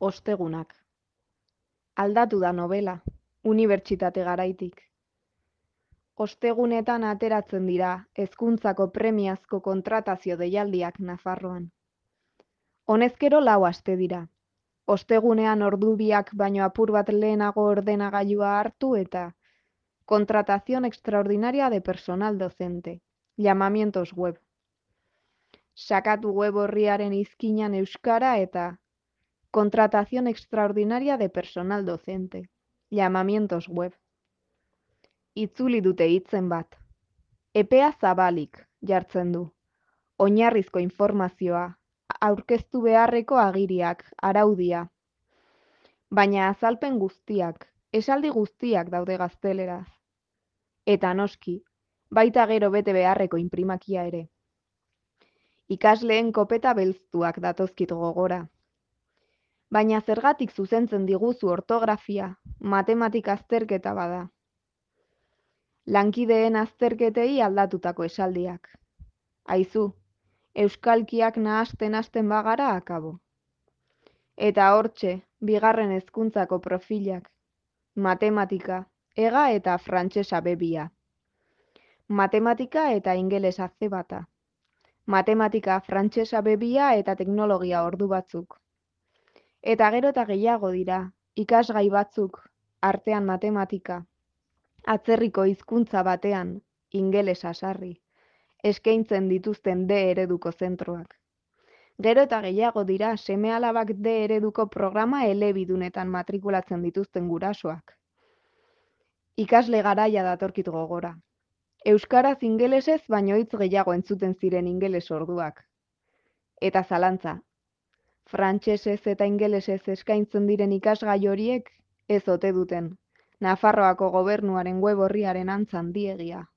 Ostegunak. Aldatu da novela, unibertsitate garaitik. Ostegunetan ateratzen dira hezkuntzako premiazko kontratazio deialdiak Nafarroan. Honezkero 4 aste dira. Ostegunean ordu biak baino apur bat lehenago ordenagailua hartu eta contratación extraordinaria de personal docente. Llamamientos web. Sakatu web orriaren izkinan euskara eta contratación extraordinaria de personal docente. Llamamientos web. Itzuli dute hitzen bat. Epea zabalik jartzen du. Oinarrizko informazioa, aurkeztu beharreko agiriak, araudia. Baina azalpen guztiak, esaldi guztiak daude gazteleraz. Eta noski, baita gero bete beharreko inprimakia ere. Ikasleen kopeta belztuak datozkit gogora. Baina zergatik zuzentzen diguzu ortografia, matematika azterketa bada. Lankideen azterketei aldatutako esaldiak. Aizu, euskalkiak nahasten hasten bagara akabo. Eta hortxe, bigarren hezkuntzako profilak. Matematika, ega eta frantsesa bebia. Matematika eta ingelesa C bata. Matematika, frantsesa bebia eta teknologia ordu batzuk. Eta gero eta gehiago dira, ikasgai batzuk, artean matematika. Atzerriko hizkuntza batean, ingelesa sarri, eskaintzen dituzten D ereduko zentroak. Gero eta gehiago dira seme-alabak D ereduko programa elebidunetan matrikulatzen dituzten gurasoak. Ikasle garaia datorkit gogora. Euskaraz ingelesez baino hitz gehiago entzuten ziren ingeles orduak. Eta zalantza. Frantsesez eta ingelesez eskaintzen diren ikasgai horiek ez ote duten. Nafarroako gobernuaren web orriaren antz handiegia.